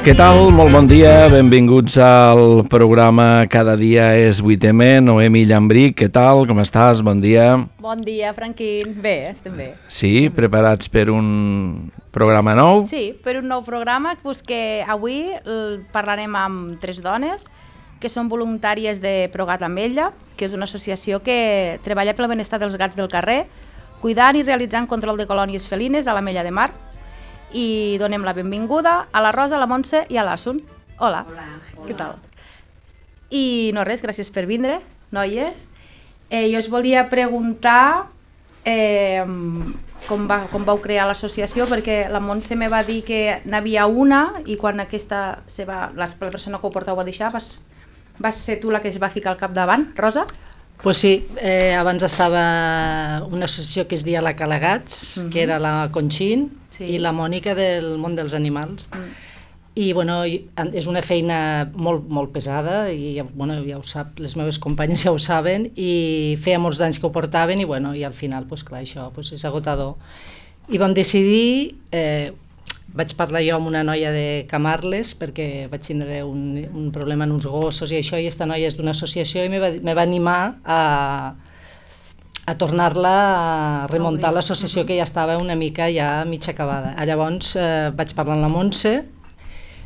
Què tal? Molt bon dia, benvinguts al programa Cada dia és 8M. Noemi Llambric, què tal? Com estàs? Bon dia. Bon dia, Franquín. Bé, estem bé. Sí, preparats per un programa nou? Sí, per un nou programa que avui parlarem amb 3 dones que són voluntàries de Progat amb ella, que és una associació que treballa pel benestar dels gats del carrer, cuidant i realitzant control de colònies felines a l'Ametlla de Mar. I donem la benvinguda a la Rosa, a la Montse i a l'Asun. Hola. Hola. Què tal? I no res, gràcies per vindre, noies. Jo us volia preguntar com vau crear l'associació, perquè la Montse me va dir que n'havia una i quan aquesta la persona que ho portava a deixar vas ser tu la que es va ficar al capdavant, Rosa? Pues sí, abans estava una associació que es deia la Calagats, que era la Conxin i la Mònica del món dels animals. I bueno, és una feina molt, molt pesada i bueno, ja ho sap, les meves companyes ja ho saben, i feia molts anys que ho portaven i, bueno, i al final pues, clar, això pues, és agotador. I vam decidir, vaig parlar jo amb una noia de Camarles perquè vaig tindre un problema en uns gossos i això, i aquesta noia és d'una associació i me va animar a tornar-la a remuntar l'associació que ja estava una mica ja mig acabada. Llavors vaig parlar amb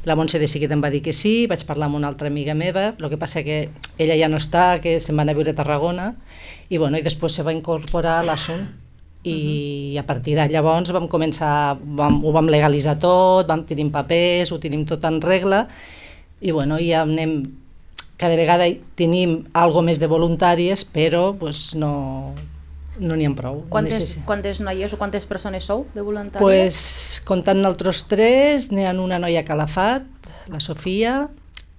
la Montse de seguida em va dir que sí, vaig parlar amb una altra amiga meva, el que passa que ella ja no està, que se'n va anar a viure a Tarragona, i, bueno, i després se va incorporar l'Asun, i a partir de llavors vam començar, ho vam legalitzar tot, vam tenir papers, ho tenim tot en regla, i bueno, ja anem, cada vegada tenim algo més de voluntàries, però pues, no n'hi ha prou. Quantes noies o quantes persones sou de voluntàries? Pues, comptant nosaltres 3, n'hi ha una noia a Calafat, la Sofia,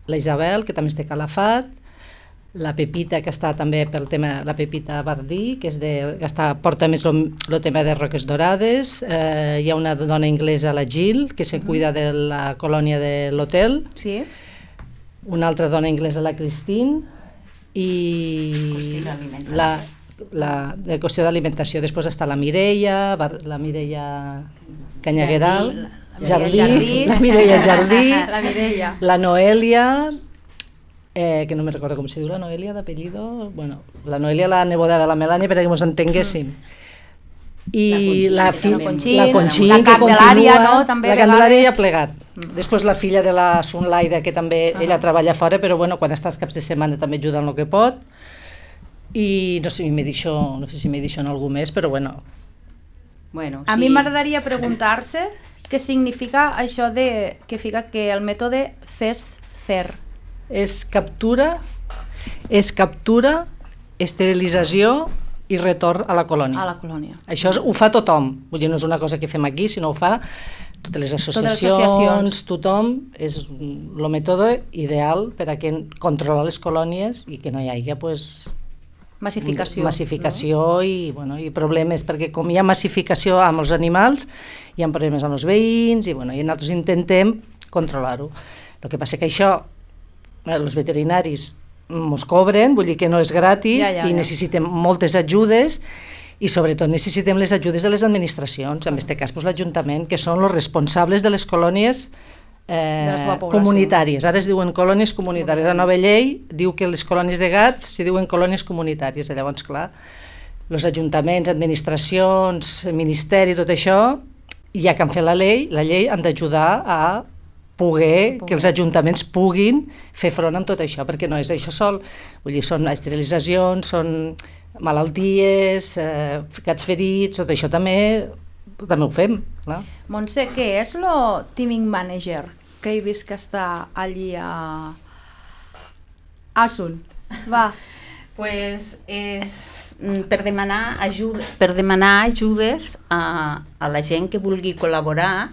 la Isabel, que també és de Calafat, la Pepita, que està també pel tema, la Pepita Bardí, que porta més el tema de Roques Dorades, hi ha una dona anglesa, la Jill, que se cuida de la colònia de l'hotel, sí. Una altra dona anglesa, la Christine, i la de qüestió d'alimentació. Després està la Mireia Canyagueral, la Mireia Jardí, la Noelia, que no me recordo com se diu la Noelia d'apellido, bueno, la Noelia, la neboda de la Melania, perquè ens entenguéssim. I la Conxin, la Candelària, no? La Candelària ja ha plegat. Després la filla de la Sunlaida, que també ella treballa fora, però bueno, quan està els caps de setmana també ajuda en el que pot. I no sé si m'he dit en algú més, però bueno. A mi m'agradaria preguntar-se què significa això que fica que el mètode CESCER. És captura, esterilització i retorn a la colònia. A la colònia. Això ho fa tothom, vull dir, no és una cosa que fem aquí, sinó ho fa totes les associacions, tothom, és el mètode ideal per a controlar les colònies i que no hi hagi massificació i problemes, perquè com hi ha massificació amb els animals, hi ha problemes amb els veïns i nosaltres intentem controlar-ho. El que passa que això els veterinaris ens cobren, vull dir que no és gratis i necessitem moltes ajudes i sobretot necessitem les ajudes de les administracions, en aquest cas l'Ajuntament, que són els responsables de les colònies comunitàries. Ara es diuen colònies comunitàries. La nova llei diu que les colònies de gats s'hi diuen colònies comunitàries. Llavors, clar, els ajuntaments, administracions, ministeri, tot això, ja que han fet la llei han d'ajudar a que els ajuntaments puguin fer front amb tot això, perquè no és això sol, vull dir, són esterilitzacions, són malalties, gats ferits, tot això també ho fem. Clar. Montse, què és el teaming manager que he vist que està allí a Asun? Va. Pues és per demanar ajudes a la gent que vulgui col·laborar.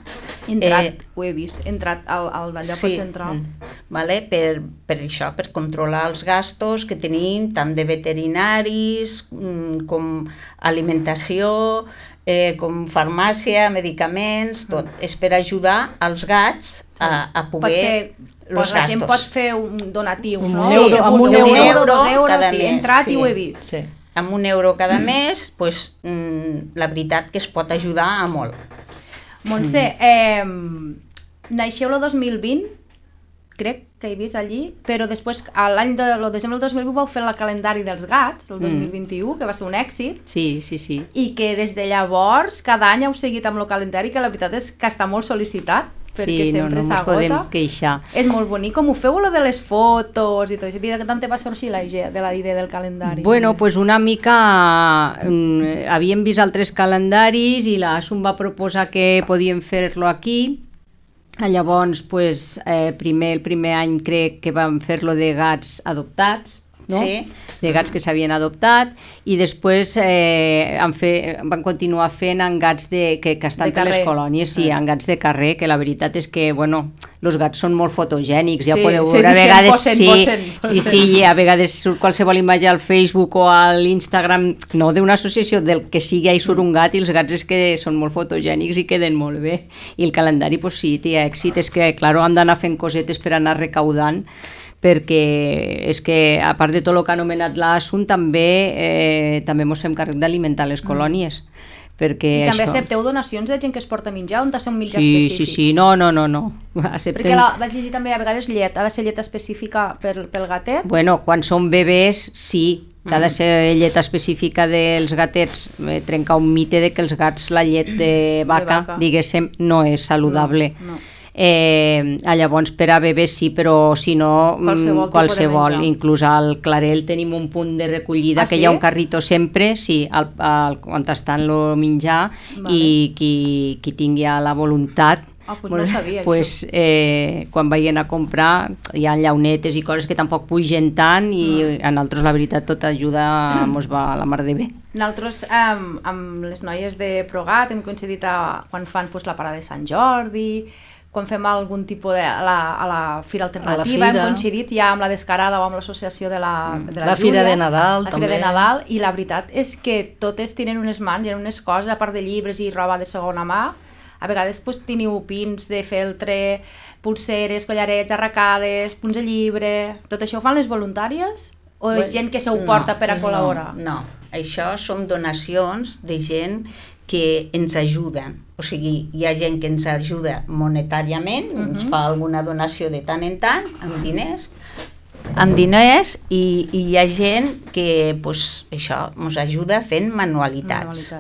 Ho he vist, entrat d'allà pots entrar. Per això, per controlar els gastos que tenim, tant de veterinaris com alimentació, com farmàcia, medicaments, tot. És per ajudar els gats a poder... La gent pot fer un donatiu, no? Amb un euro, 2 euros, cada he mes, entrat i ho he vist. Amb €1 cada mes, la veritat que es pot ajudar a molt. Montse, naixeu el 2020 crec que he vist allí, però després, el desembre del 2008 vau fer el calendari dels gats, el 2021, que va ser un èxit. Sí. I que des de llavors, cada any heu seguit amb el calendari, que la veritat és que està molt sol·licitat, perquè sempre no ens s'agota. podem queixar. És molt bonic, com ho feu, lo de les fotos i tot això. De tant te va sorgir la idea del calendari? Bueno, pues una mica havíem vist altres calendaris i l'ASUM va proposar que podíem fer-lo aquí. Llavors, pues, el primer any crec que vam fer-lo de gats adoptats, no? Sí. De gats que s'havien adoptat, i després van continuar fent en gats que estan per les colònies, sí, en gats de carrer, que la veritat és que, bueno, els gats són molt fotogènics, ja podeu veure, a vegades sí, a vegades surt qualsevol imatge al Facebook o a l'Instagram, no d'una associació, del que sigui, hi surt un gat i els gats és que són molt fotogènics i queden molt bé, i el calendari, pues sí, té èxit, és que, clar, hem d'anar fent cosetes per anar recaudant, perquè és que, a part de tot el que ha anomenat l'ASUM, també ens fem càrrec d'alimentar les colònies. I també accepteu donacions de gent que es porta a menjar, on ha de ser un menjar específic? Sí, no. Perquè vaig llegir també a vegades llet, ha de ser llet específica pel gatet? Bueno, quan són bebès, sí, que ha de ser llet específica dels gatets, trencar un mite de que els gats, la llet de vaca, diguéssim, no és saludable. No. Llavors per a bebès sí, però si no qualsevol, inclús al Clarell tenim un punt de recollida que hi ha un carrito sempre, sí, on estan el menjar, i qui tingui la voluntat no sabia, pues, quan vagin a comprar hi ha llaunetes i coses que tampoc pugen tant, i a nosaltres la veritat tota ajuda ens va a la mar de bé. Nosaltres amb les noies de Progat hem coincidit quan fan la parada de Sant Jordi, quan fem algun tipus a la Fira Alternativa, hem coincidit ja amb la Descarada o amb l'associació de la Júlia, Fira de Nadal la Fira de Nadal, i la veritat és que totes tenen unes mans, hi ha unes coses, a part de llibres i roba de segona mà, a vegades teniu pins de feltre, pulseres, collarets, arracades, punts de llibre, tot això ho fan les voluntàries? O és gent que s'ho porta per a col·laborar? No, això són donacions de gent que ens ajuden. O sigui, hi ha gent que ens ajuda monetàriament, ens fa alguna donació de tant en tant, amb diners, i hi ha gent que això ens ajuda fent manualitats.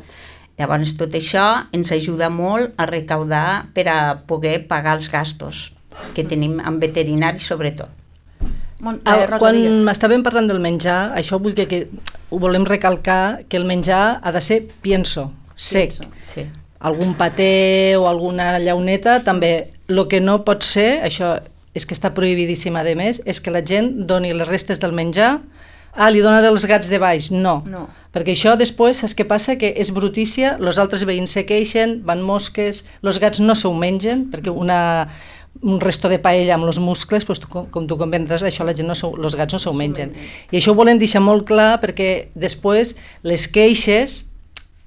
Llavors tot això ens ajuda molt a recaudar per a poder pagar els gastos que tenim en veterinari sobretot. Quan estàvem parlant del menjar, això vull que ho volem recalcar, que el menjar ha de ser pienso, sec. Sí. Algun paté o alguna llauneta també. El que no pot ser, això és que està prohibidíssim a més, és que la gent doni les restes del menjar, li donaré els gats de baix. No, perquè això després saps què passa? Que és brutícia, els altres veïns se queixen, van mosques, els gats no s'ho mengen, perquè un resto de paella amb els muscles, com tu comprendràs, això la gent els gats no s'ho mengen. I això ho volem deixar molt clar, perquè després les queixes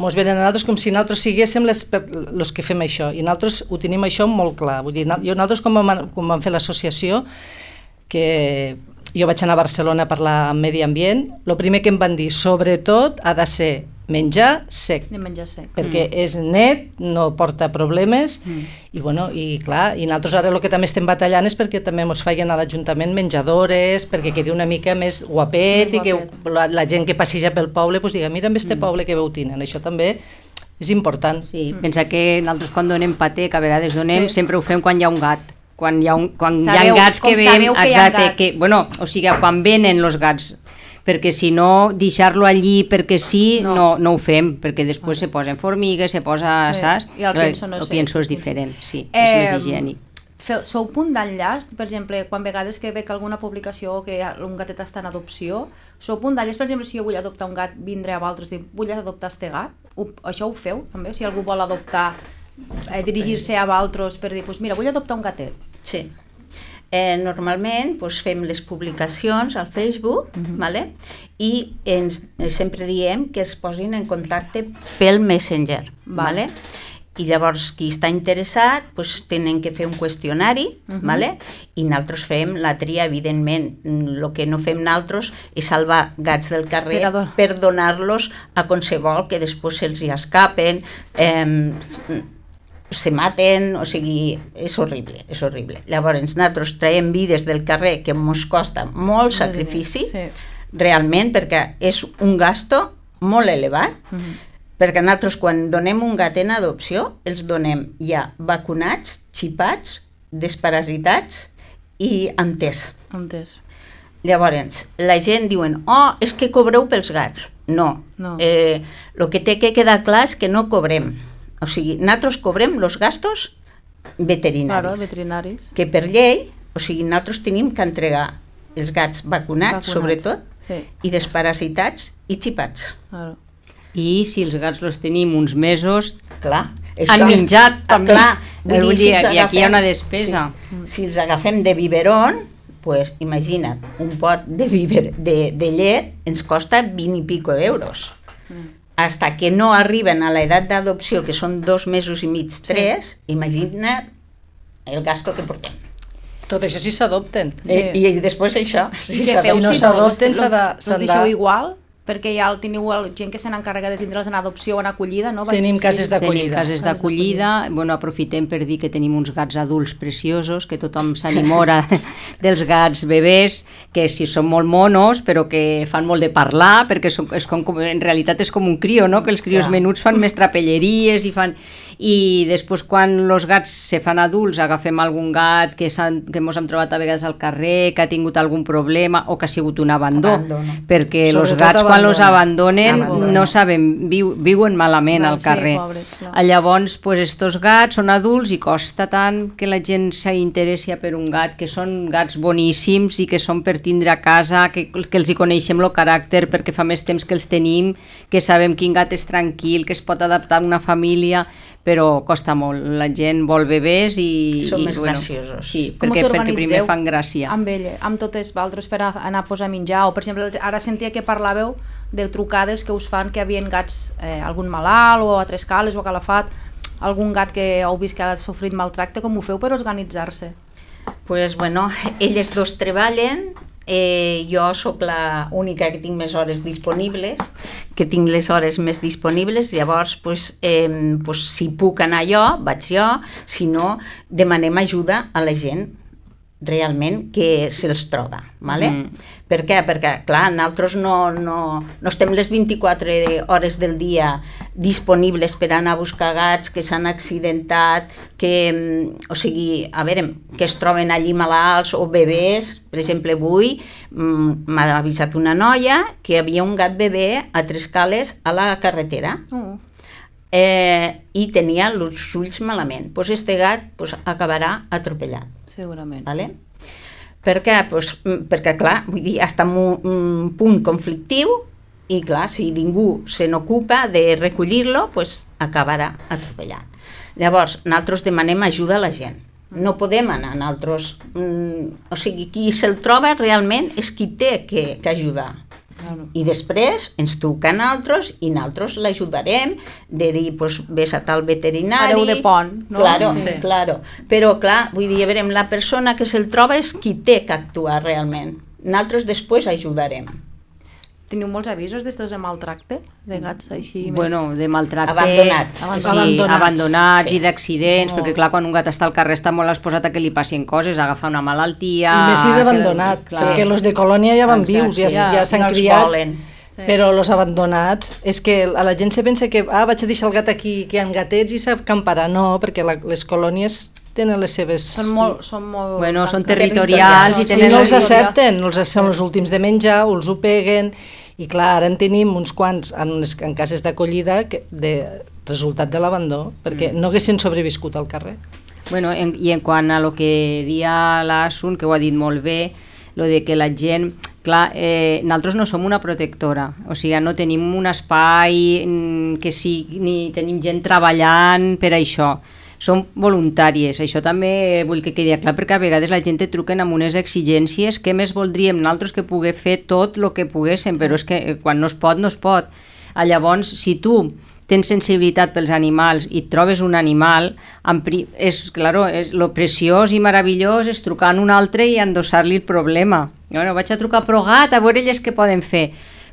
ens venen a nosaltres com si nosaltres siguéssim els que fem això, i nosaltres ho tenim això molt clar. Vull dir, nosaltres quan vam fer l'associació, que jo vaig anar a Barcelona a parlar amb Medi Ambient, el primer que em van dir, sobretot ha de ser menjar sec, perquè és net, no porta problemes, i clar, i nosaltres ara el que també estem batallant és perquè també ens facin a l'Ajuntament menjadores, perquè quedi una mica més guapet, i que la gent que passeja pel poble diga, mira amb este poble que veu tenen, això també és important. Sí, pensa que nosaltres quan donem paté, que a vegades donem, sempre ho fem quan hi ha un gat, quan hi ha gats que veiem, exacte, o sigui, quan venen els gats, perquè si no, deixar-lo allí perquè sí, no ho fem, perquè després se posen formigues, se posa, saps? I el pienso és diferent, sí, és més higiènic. Sou punt d'enllaç, per exemple, quan vegades que veig alguna publicació que un gatet està en adopció, sou punt d'enllaç, per exemple, si jo vull adoptar un gat, vindré a vosaltres i dir, vull adoptar este gat? Això ho feu, també? Si algú vol adoptar, dirigir-se a vosaltres per dir, mira, vull adoptar un gatet. Sí. Normalment fem les publicacions al Facebook, i sempre diem que es posin en contacte pel Messenger. I llavors qui està interessat tenen que fer un qüestionari, i nosaltres fem la tria, evidentment. El que no fem nosaltres és salvar gats del carrer per donar-los a qualsevol que després se'ls hi escapen. se maten, o sigui, és horrible, és horrible. Llavors, nosaltres traiem vides del carrer que ens costa molt sacrifici, realment, perquè és un gasto molt elevat, perquè nosaltres quan donem un gat en adopció els donem ja vacunats, xipats, desparasitats i entès. Llavors, la gent diuen, és que cobreu pels gats. No. El que té que quedar clar és que no cobrem. O sigui, nosaltres cobrem els gastos veterinaris. Que per llei, o sigui, nosaltres tenim que entregar els gats vacunats. Sobretot, i desparasitats i xipats. I si els gats els tenim uns mesos, han menjat també. I aquí hi ha una despesa. Si els agafem de biberon, pues imagina't, un pot de llet ens costa 20 i pico d'euros. Hasta que no arriben a l'edat d'adopció, que són 2 mesos i mig, 3, imagina't el gasto que portem. Tot això si s'adopten. I després això. Si no s'adopten, els deixeu igual? Perquè ja teniu gent que se n'encarrega de tindre'ls en adopció o en acollida, no? Tenim cases d'acollida. Tenim cases d'acollida. Bueno, aprofitem per dir que tenim uns gats adults preciosos, que tothom s'animora dels gats bebès, que sí són molt monos, però que fan molt de parlar, perquè en realitat és com un crio, no? Que els crios menuts fan més trapelleries i fan... I després quan els gats se fan adults agafem algun gat que mos hem trobat a vegades al carrer, que ha tingut algun problema o que ha sigut un abandó. Perquè els gats quan els abandonen no saben, viuen malament al carrer. Llavors estos gats són adults i costa tant que la gent s'interessi per un gat, que són gats boníssims i que són per tindre a casa, que els hi coneixem el caràcter perquè fa més temps que els tenim, que sabem quin gat és tranquil, que es pot adaptar a una família, però costa molt. La gent vol bebès i... Són més graciosos. Sí, perquè primer fan gràcia. Amb totes vosaltres per anar a posar menjar, o per exemple, ara sentia que parlàveu de trucades que us fan que hi havia gats, algun malalt o a Tres Cales o a Calafat, algun gat que heu vist que ha sofrit maltracte, com ho feu per organitzar-se? Pues bueno, elles dos treballen, jo sóc l'única que tinc més hores disponibles, que tinc les hores més disponibles, llavors si puc anar jo, vaig jo, si no, demanem ajuda a la gent realment que se'ls troba, ¿vale? Per què? Perquè, clar, nosaltres no estem les 24 hores del dia disponibles per anar a buscar gats que s'han accidentat, o sigui, a veure, que es troben allí malalts o bebès. Per exemple, avui m'ha avisat una noia que hi havia un gat bebè a Tres Cales a la carretera i tenia els ulls malament. Doncs este gat acabarà atropellat. Segurament. Vale? Per què? Perquè, clar, vull dir, està en un punt conflictiu i, clar, si ningú se n'ocupa de recollir-lo, acabarà atropellat. Llavors, nosaltres demanem ajuda a la gent. No podem anar nosaltres... O sigui, qui se'l troba realment és qui té que ajudar. I després ens truca a nosaltres i nosaltres l'ajudarem de dir, vés a tal veterinari... Fareu de pont, no? Claro. Però, clar, vull dir, a veure, la persona que se'l troba és qui té que actuar realment. Nosaltres després ajudarem. Teniu molts avisos d'estos de maltracte, de gats així? Bueno, de maltracte... Abandonats. Abandonats i d'accidents, perquè clar, quan un gat està al carrer està molt exposat a que li passin coses, agafar una malaltia... I més si és abandonat, perquè els de colònia ja van vius, ja s'han criat, però els abandonats, és que a la gent se pensa que vaig a deixar el gat aquí, que hi ha gatets i s'acamparà, no, perquè les colònies tenen les seves... Són territorials i tenen... I no els accepten, són els últims de menjar, els ho peguen... I clar, ara en tenim uns quants en cases d'acollida de resultat de l'abandó, perquè no haguessin sobreviscut al carrer. Bueno, i en quant a lo que dia l'Asun, que ho ha dit molt bé, lo de que la gent... Clar, nosaltres no som una protectora, o sigui, no tenim un espai que ni tenim gent treballant per això. Són voluntàries, això també vull que quedi clar, perquè a vegades la gent et truquen amb unes exigències que més voldríem nosaltres que poder fer tot el que poguéssim, però és que quan no es pot, no es pot. Llavors, si tu tens sensibilitat pels animals i et trobes un animal, lo preciós i meravellós és trucar a un altre i endossar-li el problema. Bueno, vaig a trucar a Progat a veure elles què poden fer.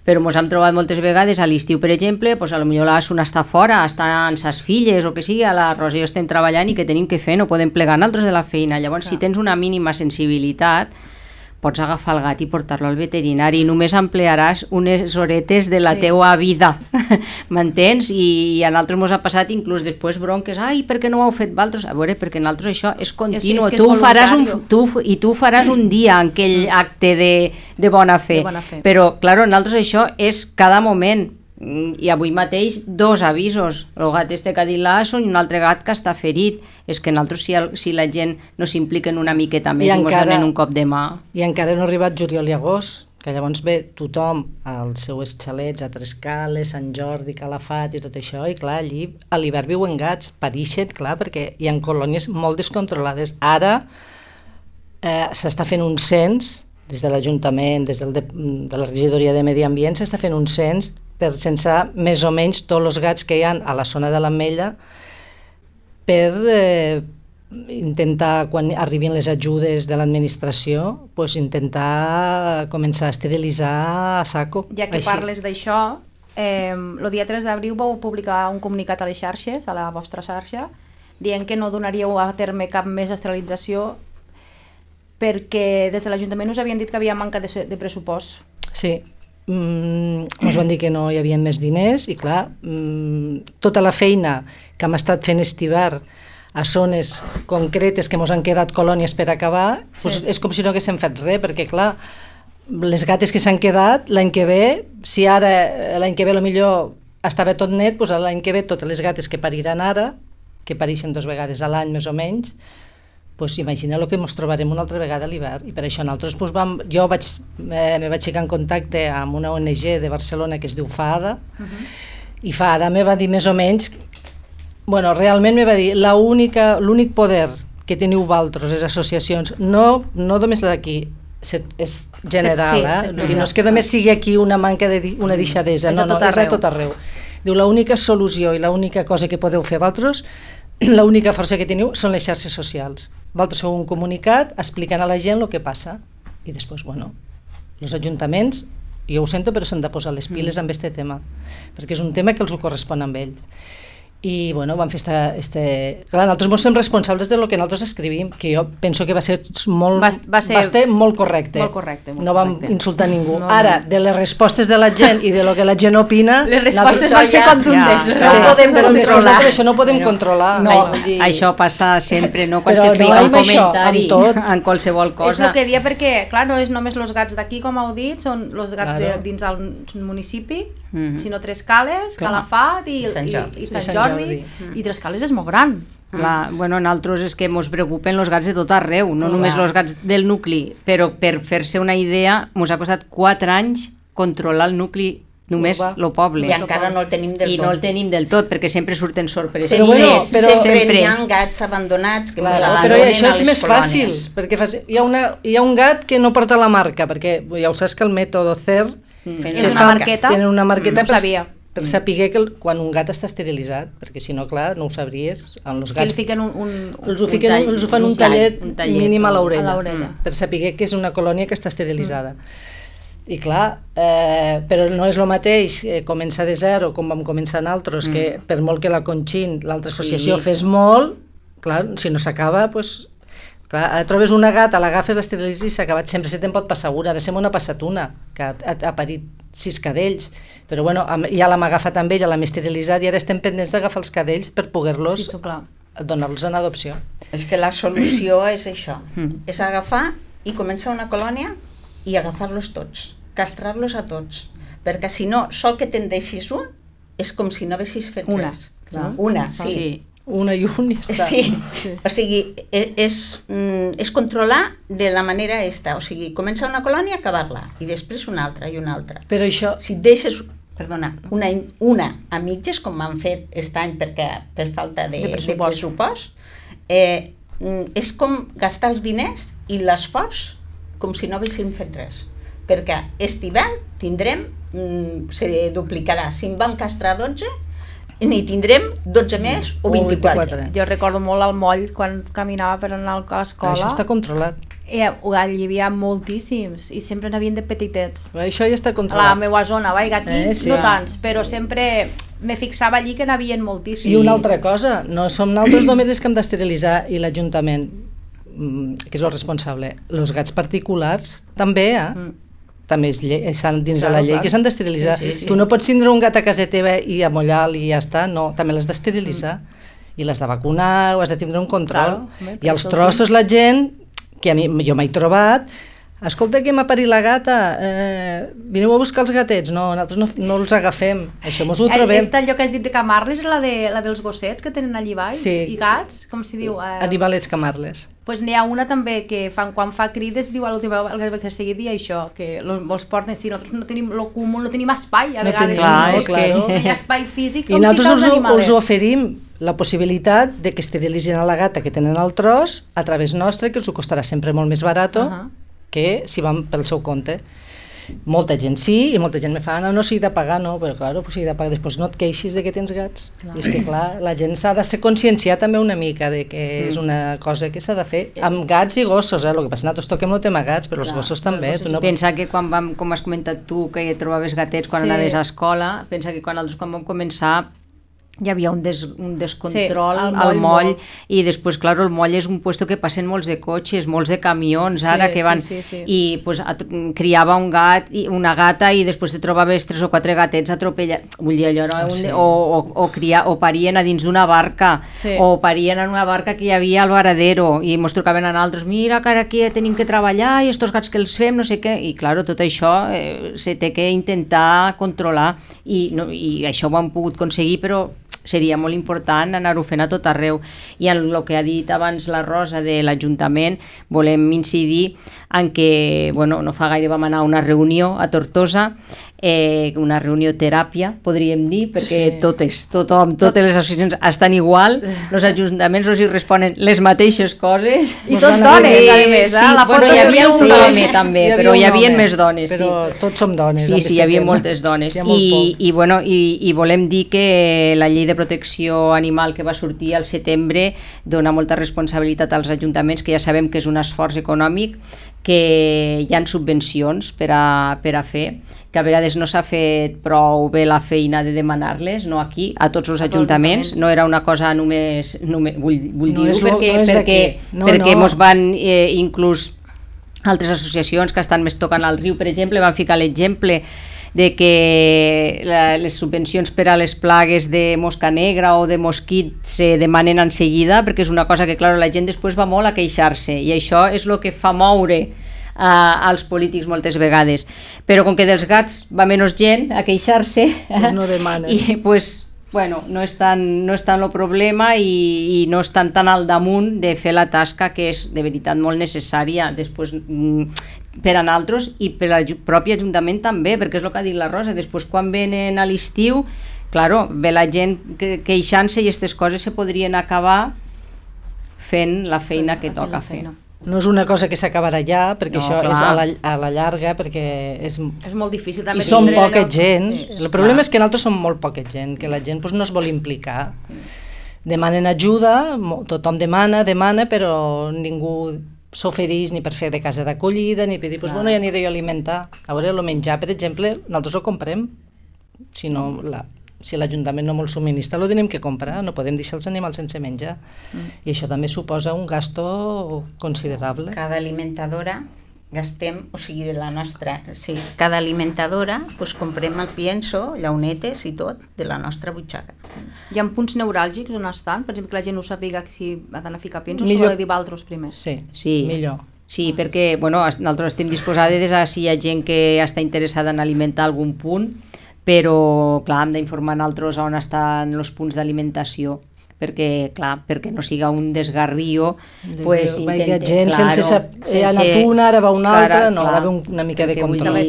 però ens hem trobat moltes vegades a l'estiu, per exemple, doncs potser la Asuna està fora, està amb ses filles o que sigui, a la Rosa i jo estem treballant i què tenim que fer? No podem plegar nosaltres de la feina. Llavors, si tens una mínima sensibilitat, pots agafar el gat i portar-lo al veterinari, només emplearàs unes horetes de la teua vida, m'entens? I a nosaltres ens ha passat inclús després bronques, ai, per què no ho heu fet vosaltres? A veure, perquè nosaltres això és continu, és tu faràs un dia en aquell acte de bona fe, però, clar, nosaltres això és cada moment. I avui mateix 2 avisos, el gat que ha dit l'Asso i un altre gat que està ferit. És que nosaltres, si la gent no s'impliquen una miqueta més i ens donen un cop de mà. I encara no ha arribat juliol i agost, que llavors ve tothom als seus xalets a Trescales, Sant Jordi, Calafat i tot això, i clar, allí a l'hivern viuen gats, parixen, clar, perquè hi ha colònies molt descontrolades. Ara s'està fent un cens, des de l'Ajuntament, des de la regidoria de Medi Ambient, s'està fent un cens per censar més o menys tots els gats que hi ha a la zona de l'Ametlla per intentar, quan arribin les ajudes de l'administració, pues intentar començar a esterilitzar a saco. Ja que parles d'això, el dia 3 d'abril vau publicar un comunicat a les xarxes, a la vostra xarxa, dient que no donaríeu a terme cap més esterilització perquè des de l'Ajuntament us havien dit que havia manca de pressupost. Sí. Ens van dir que no hi havia més diners i clar, tota la feina que hem estat fent estivar a zones concretes que ens han quedat colònies per acabar, doncs és com si no haguéssim fet res, perquè clar, les gates que s'han quedat l'any que ve, si ara l'any que ve millor estava tot net, doncs l'any que ve totes les gates que pariran ara, que pareixen 2 vegades a l'any més o menys, pues imagina el que ens trobarem una altra vegada a l'hivern. I per això nosaltres jo me vaig ficar en contacte amb una ONG de Barcelona que es diu FAADA, i FAADA me va dir més o menys, realment me va dir l'únic poder que teniu vosaltres, les associacions, no només d'aquí, és general, no és que només sigui aquí una manca una deixadesa, no, és a tot arreu. Diu, l'única solució i l'única cosa que podeu fer vosaltres, l'única força que teniu són les xarxes socials. Vosaltres feu un comunicat explicant a la gent el que passa i després, els ajuntaments, jo ho sento, però s'han de posar les piles amb aquest tema, perquè és un tema que els ho correspon amb ells. I vam fer clar, nosaltres som responsables del que nosaltres escrivim, que jo penso que va ser molt correcte. No vam insultar ningú. Ara, de les respostes de la gent i de lo que la gent opina, les respostes van ser contundents. Això no ho podem controlar. Això passa sempre, no? Quan se feia un comentari en qualsevol cosa. És el que dia, perquè clar, no és només els gats d'aquí, com heu dit, són els gats dins el municipi, sinó Trescales, Calafat i Sant Jordi. I Trescales és molt gran. Clar, nosaltres és que ens preocupen els gats de tot arreu, no només els gats del nucli, però per fer-se una idea ens ha costat 4 anys controlar el nucli, només el poble. I encara no el tenim del tot. I no el tenim del tot, perquè sempre surten sorpreses. Però sempre hi ha gats abandonats que abandonen a les colònies. Però això és més fàcil, perquè hi ha un gat que no porta la marca, perquè ja ho saps que el mètode CER tenen una marqueta per saber que quan un gat està esterilitzat, perquè si no, clar, no ho sabries. Els gats fiquen els fan un tallet mínim a l'orella, per saber que és una colònia que està esterilitzada. I clar, però no és el mateix començar de zero, com vam començar nosaltres, que per molt que la Conxin, l'altra associació, fes molt, clar, si no s'acaba, doncs... Clar, trobes una gata, l'agafes, l'esteritzes i s'ha acabat. Sempre se te'n pot passar una. Ara sembla una passat una, que ha parit 6 cadells. Però ja l'hem agafat amb ella, l'hem esterilitzat i ara estem pendents d'agafar els cadells per poder-los donar-los en adopció. És que la solució és això, és agafar i començar una colònia i agafar-los tots, castrar-los a tots, perquè si no, sol que te'n deixis un, és com si no haguessis fet res. Una, sí. Una i un i està. Sí, o sigui, és controlar de la manera esta, o sigui, començar una colònia, acabar-la, i després una altra i una altra. Però això... Si et deixes, una a mitges, com m'han fet aquest any per falta de pressupost, és com gastar els diners i l'esforç com si no haguéssim fet res. Perquè aquest hivern tindrem, se duplicarà, si en vam castrar 12, n'hi tindrem 12 més o 24. Jo recordo molt al moll quan caminava per anar a l'escola. Això està controlat. Hi havia moltíssims i sempre n'havien de petitets. Això ja està A la controlat. meva zona, aquí Sí. no tants, però sempre me fixava allí que n'havien moltíssims. I una altra cosa, no som nosaltres només els que hem d'esterilitzar i l'Ajuntament, que és el responsable, els gats particulars també, també estan dins de la llei, que s'han d'esterilitzar. Tu no pots tindre un gat a casa teva i amollar-lo i ja està, no, també l'has d'esterilitzar i l'has de vacunar, o has de tindre un control. I els trossos la gent, que jo m'he trobat, escolta que m'ha parit la gata, vineu a buscar els gatets. No, nosaltres no els agafem, això mos ho trobem. Aquesta allò que has dit de camarles, la dels gossets que tenen allí baix, i gats, com si diu... Animalets camarles. Doncs n'hi ha una també que quan fa crides diu a l'última vegada que seguia dir això, que els porten, si nosaltres no tenim el cúmul, no tenim espai, a vegades no hi ha espai físic, i nosaltres us oferim la possibilitat de que esterilitzin a la gata que tenen al tros a través nostre, que us ho costarà sempre molt més barat que si van pel seu compte. Molta gent sí, i molta gent me fa, no s'hi de pagar, no, però clar, s'hi de pagar, després no et queixis de que tens gats. I és que clar, la gent s'ha de ser conscienciar també una mica de que és una cosa que s'ha de fer amb gats i gossos, el que passa, nosaltres toquem el tema gats, però els gossos també. Pensa que quan vam, com has comentat tu, que trobaves gatets quan anaves a escola, pensa que quan vam començar hi havia un descontrol al moll i després, clar, el moll és un puesto que passen molts de cotxes, molts de camions ara que van i pues, criava un gat i una gata i després te trobaves 3 o 4 gatets atropellats, vull dir allò o parien a dins d'una barca o parien en una barca que hi havia al varadero i mos trucaven a altres, mira que ara aquí tenim que treballar i estos gats que els fem, no sé què, i clar, tot això se té que intentar controlar i això ho hem pogut aconseguir, però seria molt important anar-ho fent a tot arreu. I en el que ha dit abans la Rosa de l'Ajuntament, volem incidir en que, bueno, no fa gaire vam anar a una reunió a Tortosa, una reunió teràpia, podríem dir, perquè totes les associacions estan igual, els ajuntaments els hi responen les mateixes coses. I tot dones, a més. Hi havia un home també, però hi havia més dones. Però tots som dones. Sí, hi havia moltes dones. I volem dir que la llei de protecció animal que va sortir al setembre dona molta responsabilitat als ajuntaments, que ja sabem que és un esforç econòmic, que hi ha subvencions per a fer, que a vegades no s'ha fet prou bé la feina de demanar-les, no aquí, a tots els ajuntaments, no era una cosa només vull dir-ho, perquè mos van inclús altres associacions que estan més tocant al riu, per exemple, van ficar l'exemple de que les subvencions per a les plagues de mosca negra o de mosquit se demanen en seguida, perquè és una cosa que, clar, la gent després va molt a queixar-se, i això és el que fa moure als polítics moltes vegades. Però com que dels gats va menys gent a queixar-se, pues no demanen. I pues, bueno, no és tant el problema i no estan tan al damunt de fer la tasca que és de veritat molt necessària després per a nosaltres i per al propi Ajuntament també, perquè és el que ha dit la Rosa, després quan venen a l'estiu, claro, ve la gent queixant-se i aquestes coses se podrien acabar fent la feina que toca fer. No és una cosa que s'acabarà ja, perquè això és a la llarga, perquè és molt difícil també. I som poca gent. El problema és que nosaltres som molt poca gent, que la gent no es vol implicar. Demanen ajuda, tothom demana, però ningú s'ofereix ni per fer de casa d'acollida, ni per dir, ja aniré jo a alimentar. A veure, el menjar, per exemple, nosaltres ho comprem. Si l'Ajuntament no molt subministra, ho tenim que comprar, no podem deixar els animals sense menjar. I això també suposa un gasto considerable. Cada alimentadora gastem, o sigui, de la nostra, cada alimentadora comprem el pienso, llaunetes i tot, de la nostra butxaca. Hi ha punts neuràlgics on estan? Per exemple, que la gent no sàpiga si ha d'anar a ficar piensos o ha de dir altres primers? Sí, millor. Sí, perquè nosaltres estem disposades a si hi ha gent que està interessada en alimentar algun punt, però clar, hem d'informar nosaltres on estan els punts d'alimentació, perquè no siga un desgarrio, pues gent sense saber, ha anat una, ara va una altra, no, ha d'haver una mica de control.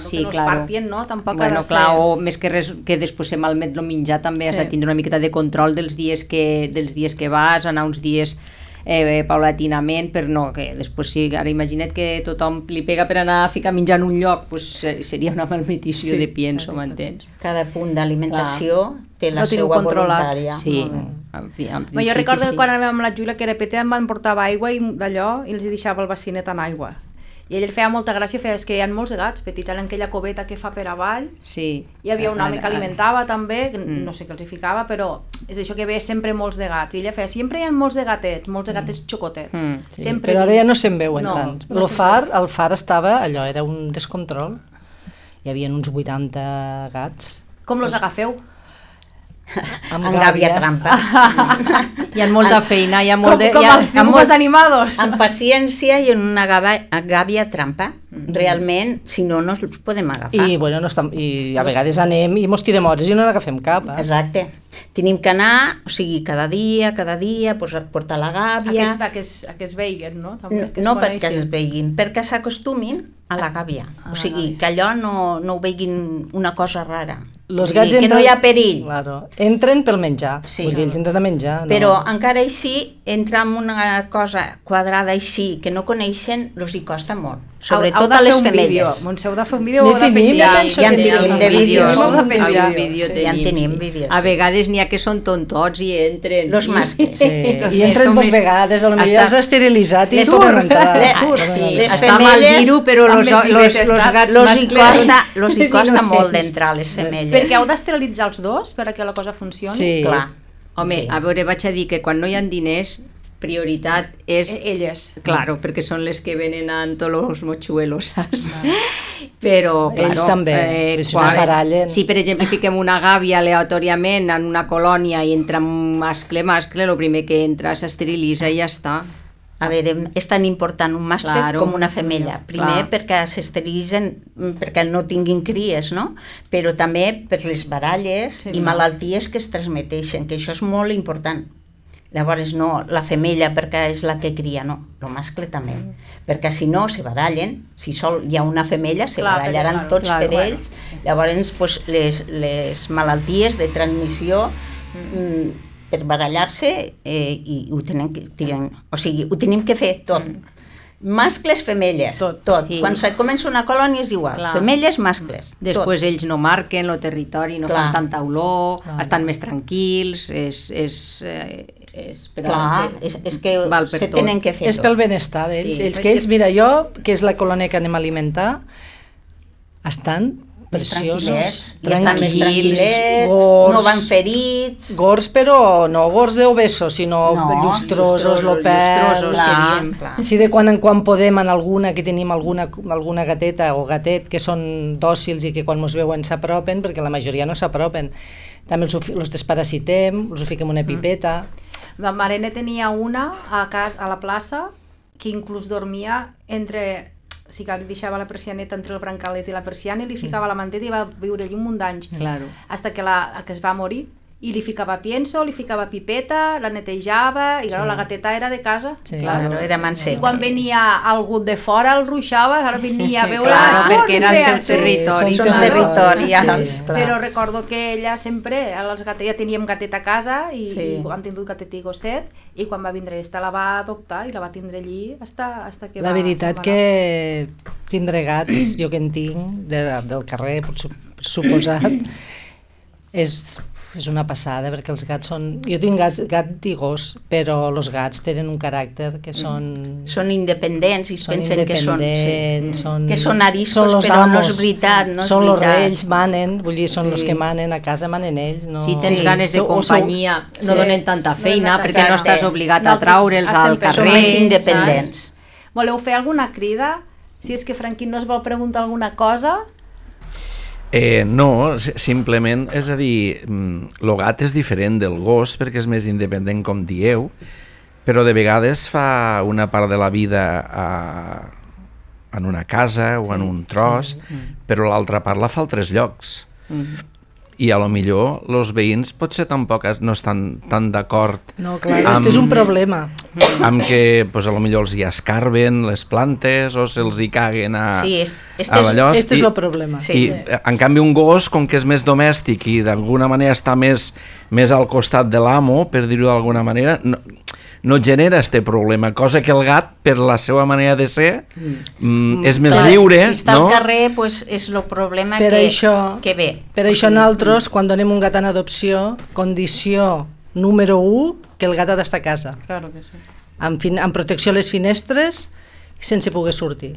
Sí, clar. O més que res, que després se malmet el menjar, també has de tindre una miqueta de control dels dies que vas, anar uns dies paulatinament, per no, que després sí, ara imagina't que tothom li pega per anar a ficar menjar en un lloc, pues seria una malmetició de pienso, m'entens? Cada punt d'alimentació té la seva voluntària. Sí, jo recordo que quan anàvem amb la Júlia, que era petita, em van portar aigua i d'allò, i els deixava el bacinet en aigua. I ell feia molta gràcia, feia, és que hi ha molts gats petits en aquella coveta que fa per avall. Sí. Hi havia un home que alimentava també, no sé què els hi ficava, però és això que veia sempre molts de gats. I ella feia, sempre hi ha molts de gatets xocotets. Sí. Però ara ja no se'n veuen tant. El far estava, allò, era un descontrol. Hi havia uns 80 gats. Com los agafeu? Amb gàbia trampa. Hi ha molta feina, hi ha molt de... Com els dibujos animados. Amb paciència i en una gàbia trampa. Realment, si no, no els podem agafar. I, bueno, i a vegades anem i mos tirem hores i no n'agafem cap. Exacte. Tenim que anar, o sigui, cada dia, portar la gàbia... A que es veiguin, no? No perquè es veiguin, perquè s'acostumin a la gàbia. O sigui, que allò no ho veiguin una cosa rara. Que no hi ha perill. Claro. Entren pel menjar. Sí. Vull dir, ells entren a menjar. No? Però encara així, entrar en una cosa quadrada així, que no coneixen, els hi costa molt. Sobretot a les femelles. Montse, heu de fer un vídeo o heu de penjar? Ja en tenim de vídeos. Ja en tenim vídeos. A vegades n'hi ha que són tontots i entren. Los mascles. I entren dos vegades, potser has esterilitzat i tornen a entrar. Està mal dir-ho, però els gats mascles... Los hi costa molt d'entrar, les femelles. Perquè heu d'esterilitzar els dos perquè la cosa funcioni? Sí. Clar. Home, a veure, vaig a dir que quan no hi ha diners, prioritat és... Elles. Claro, perquè són les que venen amb tots els mochuelos, saps? Però, claro... Ells també, es barallen. Si, per exemple, fiquem una gàbia aleatòriament en una colònia i entra un mascle, el primer que entra s'esterilitza i ja està. A veure, és tan important un mascle com una femella. Primer perquè s'esterilitzen, perquè no tinguin cries, no? Però també per les baralles i malalties que es transmeteixen, que això és molt important. Llavors no, la femella perquè és la que cria, no, el mascle també, perquè si no se barallen, si sol hi ha una femella se barallaran tots per ells, llavors pues, les malalties de transmissió per barallar-se i ho tenim que fer tot. Mascles, femelles, tot. Sí. Quan comença una colònia és igual, femelles, mascles. Després ells no marquen el territori, no fan tanta olor, estan més tranquils, és que se tenen que fer tot. És pel benestar d'ells. Ells, mira, jo, que és la colònia que anem a alimentar, estan preciosos, i estan més tranquil·lets, no van ferits. Gors, però no gors d'obesos, sinó llustrosos, lopers. Així de quan en quan podem, en alguna, que tenim alguna gateta o gatet que són dòcils i que quan ens veuen s'apropen, perquè la majoria no s'apropen. També els desparasitem, els fiquem una pipeta. La Marene tenia una a la plaça que inclús dormia entre... O sigui que li deixava la persianeta entre el brancalet i la persiana i li ficava la manteta i va viure allí un munt d'anys. Claro. Hasta que es va morir. I li ficava pienso, li ficava pipeta, la netejava, i la gateta era de casa. Sí, claro, era manseta. I quan venia algú de fora el ruixava, ara venia a veure... perquè era el seu territori. Són territorials. Però recordo que ella sempre, ja teníem gatet a casa, i hem tingut gatet i gosset, i quan va vindre esta la va adoptar i la va tindre allí hasta que va... La veritat que tindre gats, jo que en tinc, del carrer, per suposat, és una passada, perquè els gats són... Jo tinc gat i gos, però els gats tenen un caràcter que són... Són independents i es pensen que són... Que són ariscos, però no és veritat. Són els reis, manen, vull dir, són els que manen a casa, manen ells. Si tens ganes de companyia, no donen tanta feina, perquè no estàs obligat a traure'ls al carrer. Són més independents. Voleu fer alguna crida? Si és que Franquín no es vol preguntar alguna cosa... No, simplement, és a dir, el gat és diferent del gos perquè és més independent, com dieu, però de vegades fa una part de la vida en una casa o en un tros, però l'altra part la fa a altres llocs. I a lo millor els veïns potser tampoc no estan tan d'acord. No, clar, aquest és un problema. Amb que a lo millor els hi escarben les plantes o se'ls hi caguen a l'allò. Aquest és el problema. I en canvi un gos, com que és més domèstic i d'alguna manera està més al costat de l'amo, per dir-ho d'alguna manera, no genera este problema, cosa que el gat, per la seva manera de ser, és més lliure, si està al carrer, pues, és el problema que ve. Per això nosaltres, quan donem un gat en adopció, condició número 1, que el gat ha d'estar a casa. Claro que sí. Amb protecció a les finestres, sense poder sortir.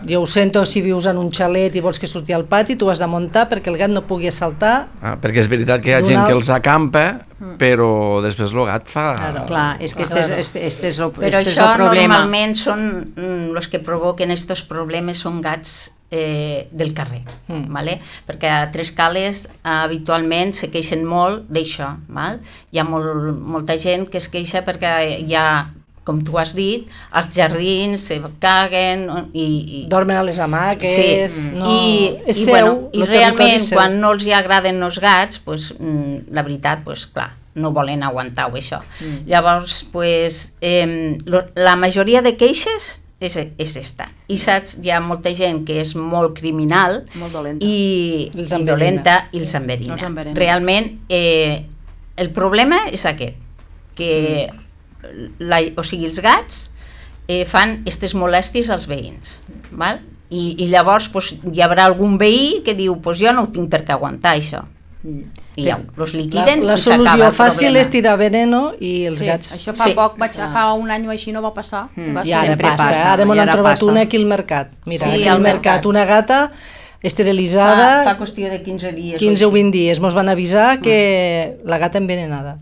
Jo ho sento si vius en un xalet i vols que surti al pati, tu has de muntar perquè el gat no pugui saltar. Perquè és veritat que hi ha gent que els acampa, però després el gat fa... Clar, és que este és el problema. Però això normalment són els que provoquen aquests problemes, són gats del carrer, vale? Perquè a Tres Cales habitualment se queixen molt d'això. Hi ha molta gent que es queixa perquè hi ha, com tu has dit, als jardins se caguen i dormen a les hamaques, i realment quan no els agraden els gats, la veritat, clar, no volen aguantar això. Llavors, la majoria de queixes és esta. I saps, hi ha molta gent que és molt criminal i dolenta i els enverina. Realment, el problema és aquest, que o sigui, els gats fan aquestes molèsties als veïns, val? I llavors hi haurà algun veí que diu jo no ho tinc per què aguantar això, i els liquiden. La solució fàcil és tirar veneno i els gats... Això fa poc, fa un any o així no va passar. I ara passa, ara m'ho han trobat una aquí al mercat. Mira, aquí al mercat, una gata esterilitzada... Fa qüestió de 15 dies. 15 o 20 dies, mos van avisar que la gata envenenada.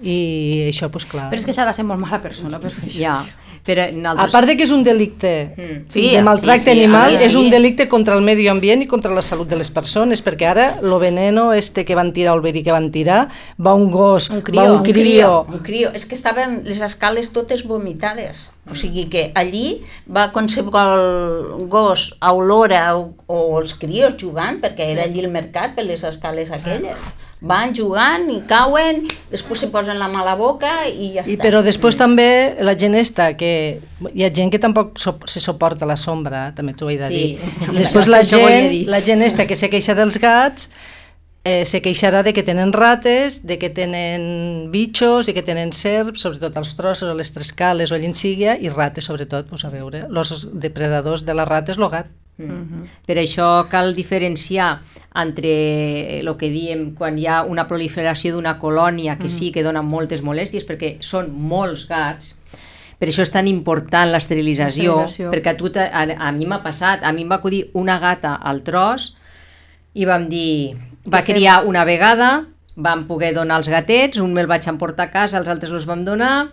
I això, doncs clar... Però és que s'ha de ser molt mala persona per fer això. A part de que és un delicte de maltracte animal, és un delicte contra el medi ambient i contra la salut de les persones, perquè ara el veneno que van tirar, el verí que van tirar, va un gos, va un crió. Un crió, és que estaven les escales totes vomitades. O sigui que allí va qualsevol gos a olora o els crios jugant, perquè era allí el mercat per les escales aquelles. Van jugant i cauen, després se posen la mà a la boca i ja està. Però després també la gent que hi ha gent que tampoc se suporta la sombra, també t'ho he de dir. Després la gent que se queixa dels gats se queixarà de que tenen rates, de que tenen bitxos i que tenen serps, sobretot als trossos, a les Tres Cales o allà en sigui, i rates sobretot, a veure, els depredadors de les rates, el gat. Per això cal diferenciar entre el que diem quan hi ha una proliferació d'una colònia que sí que dona moltes molèsties perquè són molts gats. Per això és tan important l'esterilització, perquè a mi m'ha passat, a mi em va acudir una gata al tros i vam dir, va criar una vegada, vam poder donar els gatets, un me'l vaig emportar a casa, els altres els vam donar.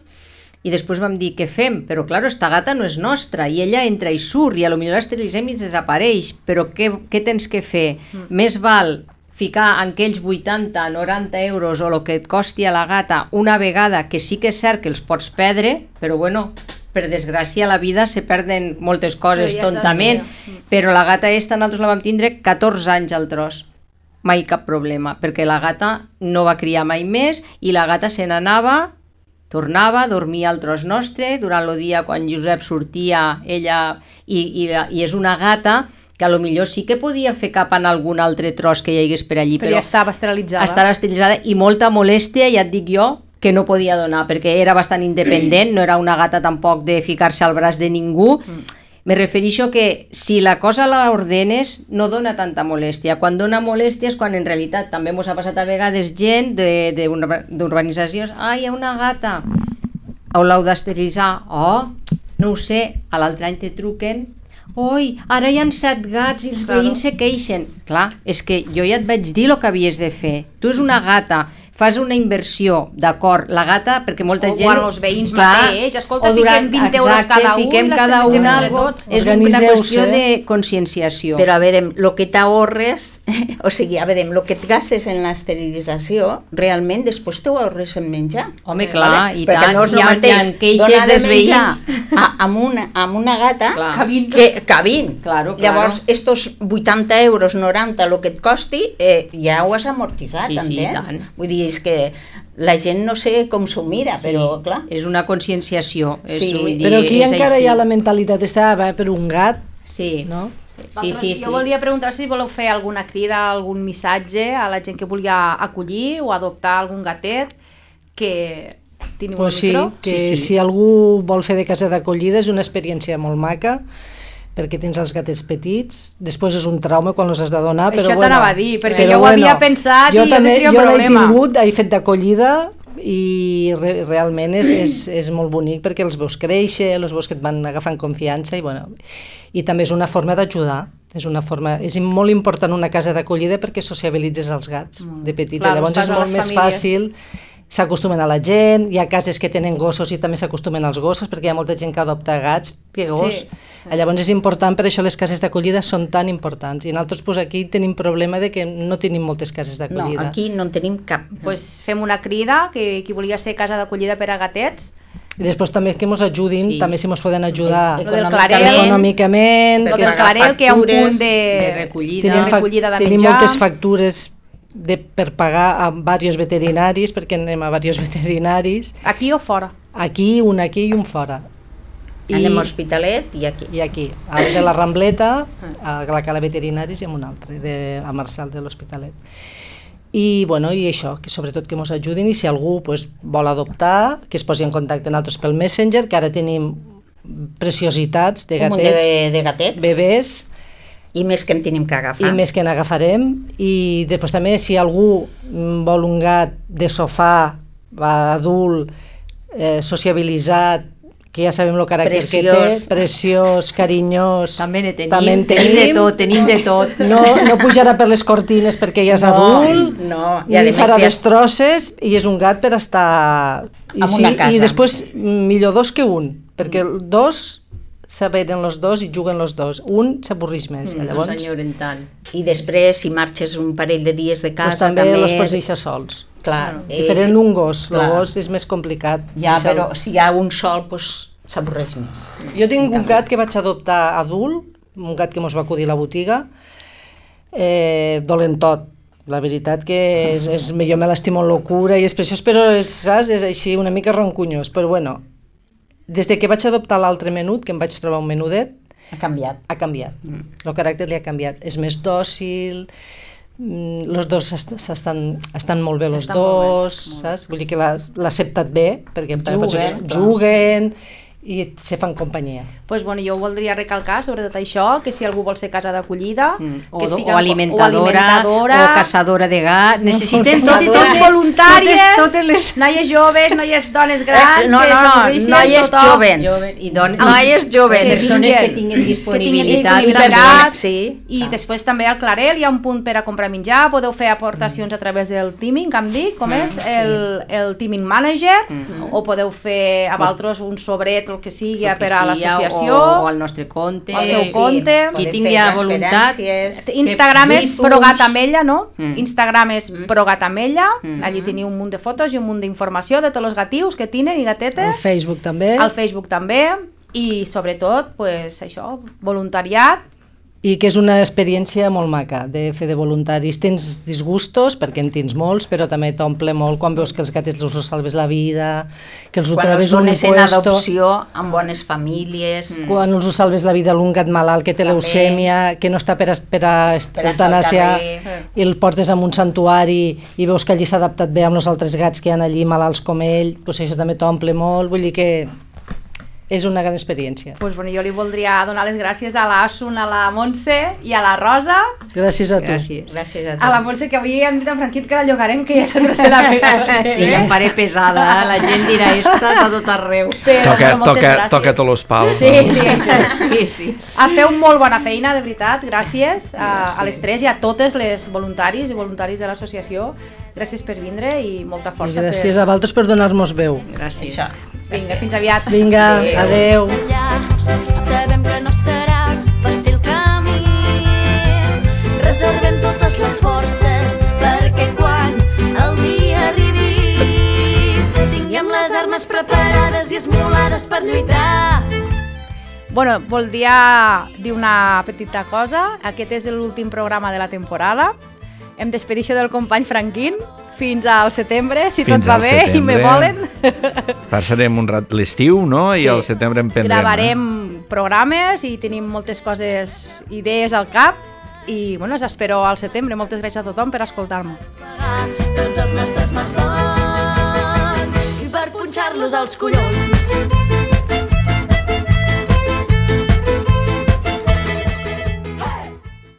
I després vam dir, què fem? Però, clar, esta gata no és nostra, i ella entra i surt, i potser l'esterilitzem i desapareix, però què tens que fer? Més val ficar en aquells 80-90 euros o el que et costi a la gata una vegada, que sí que és cert que els pots perdre, però, bueno, per desgràcia a la vida se perden moltes coses tontament, però la gata nosaltres la vam tindre 14 anys al tros. Mai cap problema, perquè la gata no va criar mai més i la gata se n'anava, tornava, dormia al tros nostre, durant el dia quan Josep sortia ella, i és una gata que potser sí que podia fer cap en algun altre tros que hi hagués per allí, però ja estava esterilitzada. Estava esterilitzada i molta molèstia, ja et dic jo, que no podia donar, perquè era bastant independent, no era una gata tampoc de ficar-se al braç de ningú. Me refereixo que si la cosa la ordenes no dona tanta molèstia. Quan dona molèstia és quan en realitat també ens ha passat a vegades gent d'urbanitzacions, hi ha una gata, l'heu d'esterilitzar, no ho sé, a l'altre any te truquen, ara hi ha 7 gats i els veïns se queixen. Clar, és que jo ja et vaig dir el que havies de fer. Tu és una gata, fas una inversió, d'acord, la gata, perquè molta gent... O els veïns mateix, escolta, fiquem 20 euros cada un, fiquem cada un algo, és una qüestió de conscienciació. Però a veure, el que t'ahorres, o sigui, a veure, el que et gastes en l'esterilització, realment després t'ho ahorres en menjar. Home, clar, i tant, hi ha queixes dels veïns. Amb una gata que 20. Llavors, estos 80 euros, 90, el que et costi, ja ho has amortitzat, entens? Vull dir, és que la gent no sé com s'ho mira, però clar... És una conscienciació. Però aquí encara hi ha la mentalitat per un gat, no? Jo volia preguntar si voleu fer alguna crida, algun missatge a la gent que volia acollir o adoptar algun gatet, que Teniu un micro? Sí, si algú vol fer de casa d'acollida és una experiència molt maca, perquè tens els gatets petits, després és un trauma quan els has de donar, però això t'anava a dir, perquè jo ho havia pensat i jo tindria un problema. Jo l'he tingut, he fet d'acollida, i realment és molt bonic perquè els veus créixer, els veus que et van agafant confiança i també és una forma d'ajudar, és molt important una casa d'acollida perquè sociabilitzes els gats de petits, llavors és molt més fàcil, s'acostumen a la gent, hi ha cases que tenen gossos i també s'acostumen als gossos perquè hi ha molta gent que adopta gats que gos. Llavors és important, per això les cases d'acollida són tan importants i nosaltres aquí tenim problema de que no tenim moltes cases d'acollida. No, aquí no en tenim cap. Fem una crida que qui volia ser casa d'acollida per a gatets. I després també que ens ajudin, també si ens poden ajudar econòmicament. El del Clarel, que hi ha un punt de recollida de menjar. Tenim moltes factures per pagar a diversos veterinaris, perquè anem a diversos veterinaris. Aquí o fora? Un aquí i un fora. Anem a Hospitalet i aquí. I aquí, el de la Rambleta, a la Cala Veterinaris i en un altre, a Marçal de l'Hospitalet. I això, que sobretot que ens ajudin i si algú vol adoptar, que es posi en contacte amb nosaltres pel Messenger, que ara tenim preciositats de gatets, bebès, i més que en tenim que agafar. I més que n'agafarem. I després també, si algú vol un gat de sofà, adult, sociabilitzat, que ja sabem el caràcter que té, preciós, carinyós... També tenim de tot. No pujarà per les cortines perquè ja és adult, ni farà destrosses, i és un gat per estar... I després, millor dos que un, perquè dos... s'averen els dos i juguen els dos. Un s'avorreix més. Llavors... I després, si marxes un parell de dies de casa... també els pots deixar sols. Clar. Diferent d'un gos. El gos és més complicat. Ja, però si hi ha un sol, s'avorreix més. Jo tinc un gat que vaig adoptar adult, un gat que mos va acudir a la botiga, dolentot. La veritat que jo me l'estimo amb locura i és preciós, però és així una mica roncunyós. Però bueno, des que vaig adoptar l'altre menut, que em vaig trobar un menudet, ha canviat. El caràcter li ha canviat. És més dòcil, els dos estan molt bé, els dos, saps? Vull dir que l'ha acceptat bé, perquè juguen i se fan companyia. Jo voldria recalcar sobre tot això, que si algú vol ser casa d'acollida, o alimentadora, o caçadora de gat, necessitem totes voluntàries, noies joves, noies dones grans, noies joves, persones que tinguin disponibilitat. I després també al Clarel hi ha un punt per a comprar menjar, podeu fer aportacions a través del Teaming, que em dic, com és el Teaming Manager, o podeu fer a vosaltres un sobret, el que sigui, per a l'associació, o al nostre compte, al seu compte, qui tingui voluntat. Instagram és ProGatAmella, no? Instagram és ProGatAmella, allí teniu un munt de fotos i un munt d'informació de tots els gatius que tenen i gatetes. Al Facebook també. I sobretot, això, voluntariat. I que és una experiència molt maca de fer de voluntaris. Tens disgustos, perquè en tens molts, però també t'omple molt quan veus que els gatets els salves la vida, que els ho trobes un puesto. Quan els dones en adopció amb bones famílies. Quan els ho salves la vida a un gat malalt que té leucèmia, que no està per eutanàsia, i el portes a un santuari i veus que allí s'ha adaptat bé amb els altres gats que hi ha allí malalts com ell, això també t'omple molt, vull dir que és una gran experiència. Jo li voldria donar les gràcies a l'Asun, a la Montse i a la Rosa. Gràcies a tu. Gràcies a tu. A la Montse, que avui hem dit a Franquit que la llogarem, que ja és la tercera vegada. Sí, em faré pesada, la gent dirà, esta està tot arreu. Toca tots els pals. Sí. Feu molt bona feina, de veritat, gràcies a les tres i a totes les voluntaris i voluntaris de l'associació. Gràcies per vindre i molta força. I gràcies a vosaltres per donar-nos veu. Gràcies. Vinga, fins aviat. Vinga, adeu. Sabem que no serà fàcil camí. Reservem totes les forces perquè quan el dia arribi tinguem les armes preparades i esmolades per lluitar. Voldria dir una petita cosa. Aquest és l'últim programa de la temporada. Em despedeixo del company Franquín fins al setembre, si tot va bé i me volen. Passarem un rat l'estiu, no? I al setembre en prendrem. Gravarem programes i tenim moltes coses, idees al cap i us espero al setembre. Moltes gràcies a tothom per escoltar-me. Tots els nostres malsons i per punxar-los tocar-los als collons.